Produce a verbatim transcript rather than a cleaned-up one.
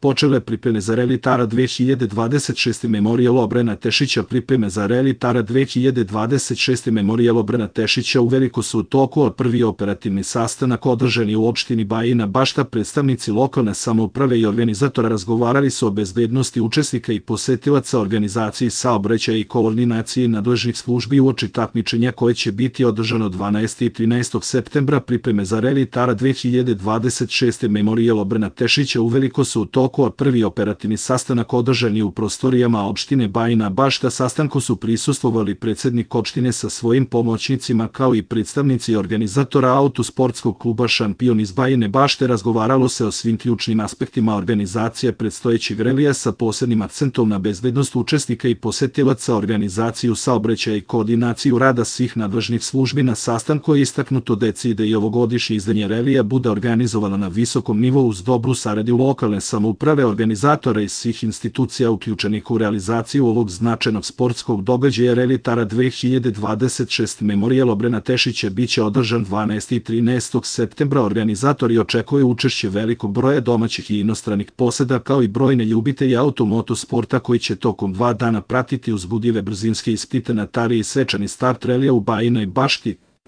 počele pripreme za Reli Tara dve hiljade dvadeset šeste. Memorijal Obrena Tešića. Pripreme za Reli Tara dve hiljade dvadeset šeste. Memorijal Obrena Tešića uveliko su u toku, a prvi operativni sastanak održan je u opštini Bajina Bašta. Predstavnici lokalne samouprave i organizatora razgovarali su o bezbednosti učesnika i posetilaca, organizaciji saobraćaja i koordinaciji nadležnih službi uoči takmičenja koje će biti održano dvanaestog i trinaestog septembra. Pripreme za Reli Tara dve hiljade dvadeset šeste. Memorijal Obrena Tešića uveliko su u toku, a prvi operativni sastanak održan je u prostorijama opštine Bajina Bašta. Sastanku su prisustvovali predsednik opštine sa svojim pomoćnicima kao i predstavnici organizatora autosportskog kluba Šampion iz Bajine Bašte. Razgovaralo se o svim ključnim aspektima organizacije predstojećeg relija sa posebnim akcentom na bezbednost učesnika i posetilaca, organizaciju saobraćaja i koordinaciju rada svih nadležnih službi. Na sastanku je istaknuto da je cilj da i ovogodišnje izdanje relija bude organizovano na visokom nivou uz dobru saradnju lokalne samouprave, organizatora i svih institucija uključenih u realizaciju ovog značajnog sportskog događaja. Reli Tara dve hiljade dvadeset šeste. Memorijal Obrena Tešića biće održan dvanaestog i trinaestog septembra. Organizatori očekuju učešće velikog broja domaćih i inostranih poseda kao i brojne ljubitelje automoto sporta koji će tokom dva dana pratiti uzbudljive brzinske ispite na Tari i svečani start relija u Bajinoj Bašti.